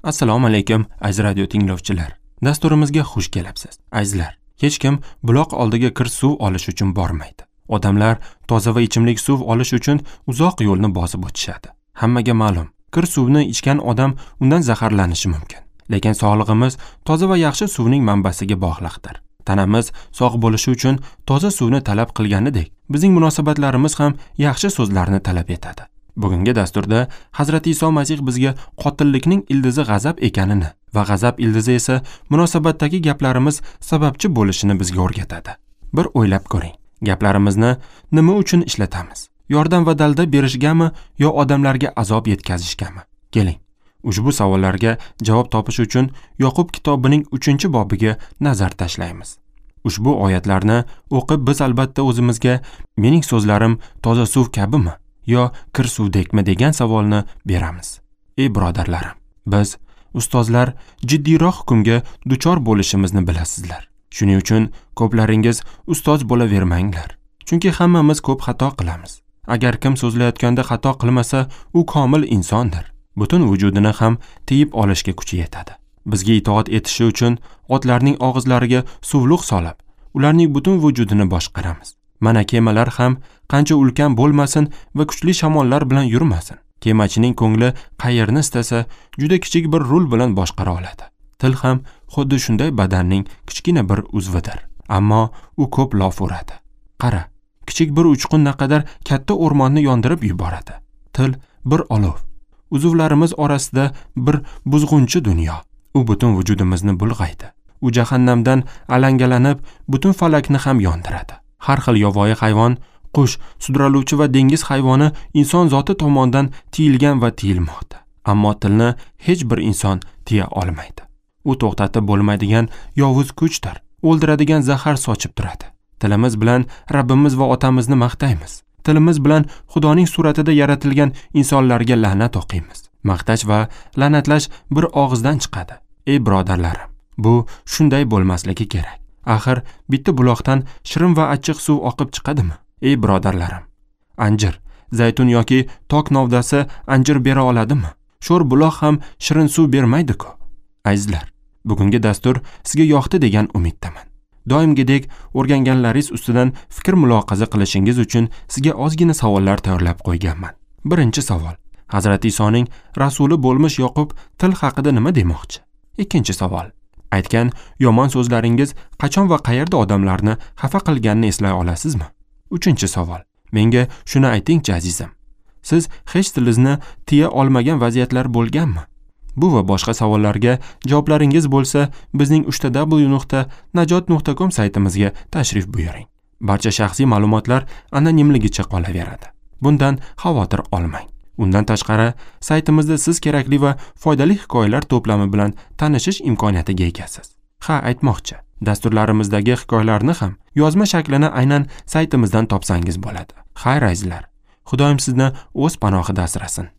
Assalomu alaykum, aziz radio tinglovchilar. Dasturimizga xush kelibsiz. Azizlar, hech kim buloq oldiga kir suv olish uchun bormaydi. Odamlar toza va ichimlik suv olish uchun uzoq yo'lni bosib o'tishadi. Hammaga ma'lum, kir suvni ichgan odam undan zaharlanishi mumkin. Lekin sog'lig'imiz toza va yaxshi suvning manbasiga bog'liqdir. Tanamiz sog' bo'lishi uchun toza suvni talab qilganidek, bizning munosabatlarimiz ham yaxshi so'zlarni talab etadi. Bugungi dasturda Hazrati Iso Masih bizga qotillikning ildizi g'azab ekanini va g'azab ildizi esa munosabatdagi gaplarimiz sababchi bo'lishini bizga o'rgatadi. Bir o'ylab ko'ring. Gaplarimizni nima uchun ishlatamiz? Yordam va dalda berishgami yo odamlarga azob yetkazishgami? Keling, ushbu savollarga javob topish uchun Yoqub kitobining 3-bobiga nazar tashlaymiz. Ushbu oyatlarni o'qib biz albatta o'zimizga mening so'zlarim toza suv kabimi yo kir suvdekmi degan savolni beramiz. Ey birodarlarim, biz ustozlar jiddiyroq hukmga duchor bo'lishimizni bilasizlar. Shuning uchun ko'plaringiz ustoz bo'lavermanglar. Chunki hammamiz ko'p xato qilamiz. Agar kim so'zlayotganda xato qilmasa, u komil insondir. Butun vujudini ham tiyib olishga kuchi yetadi. Bizga itoat etishi uchun otlarning og'izlariga suvliq solib, ularning butun vujudini boshqaramiz. Mana kemalar ham qancha ulkan bo'lmasin va kuchli shamollar bilan yurmasin, kemachining ko'ngli qayerni istasa, juda kichik bir rul bilan boshqara oladi. Til ham xuddi shunday badanning kichkina bir uzvidir, ammo u ko'p lof uradi. Qara, kichik bir uchqun naqadar katta o'rmonni yondirib yuboradi. Til bir olov. Uzvlarimiz orasida bir buzg'unchi dunyo. U butun vujudimizni bulg'aydi. U jahannamdan alangalanib, butun falakni ham yondiradi. Har xil yovvoyi hayvon, qush, sudraluvchi va dengiz hayvoni inson zoti tomonidan tiyilgan va tiyilmoqda. Ammo tilni hech bir inson tiya olmaydi. U to'xtatib bo'lmaydigan yovuz kuchdir. O'ldiradigan zahar sochib turadi. Tilimiz bilan Rabbimiz va otamizni maqtaymiz. Tilimiz bilan Xudoning suratida yaratilgan insonlarga la'nat o'qiymiz. Maqtash va la'natlash bir og'izdan chiqadi. Ey birodarlarim, bu shunday bo'lmasligi kerak. Axir bitta buloqdan shirin va achchiq suv oqib chiqadimi? Ey birodarlarim, anjir, zaytun yoki tok novdasi anjir bera oladimi? Sho'r buloq ham shirin suv bermaydi-ku. Azizlar, bugungi dastur sizga yoqdi degan umiddaman. Doimgidek o'rganganlaringiz ustidan fikr muloqaza qilishingiz uchun sizga ozgina savollar tayyorlab qo'yganman. Birinchi savol. Hazrati Isoning rasuli bo'lmish Yoqub til haqida nima demoqchi? Ikkinchi savol. Aytgan yomon so'zlaringiz qachon va qayerda odamlarni xafa qilganini eslay olasizmi? Uchinchi savol. Menga shuni aytingchi azizim. Siz hech tilingizni tiya olmagan vaziyatlar bo'lganmi? Bu va boshqa savollarga javoblaringiz bo'lsa, bizning www.najot.com saytimizga tashrif buyuring. Barcha shaxsiy ma'lumotlar anonimligicha qolaveradi. Bundan xavotir olmang. Undan tashqari, saytimizda siz kerakli va foydali hikoyalar to'plami bilan tanishish imkoniyatiga egasiz. Ha, aytmoqchi, dasturlarimizdagi hikoyalarni ham yozma shaklini aynan saytimizdan topsangiz bo'ladi. Xayr azizlar, Xudoyim sizni o'z panohida asrasin.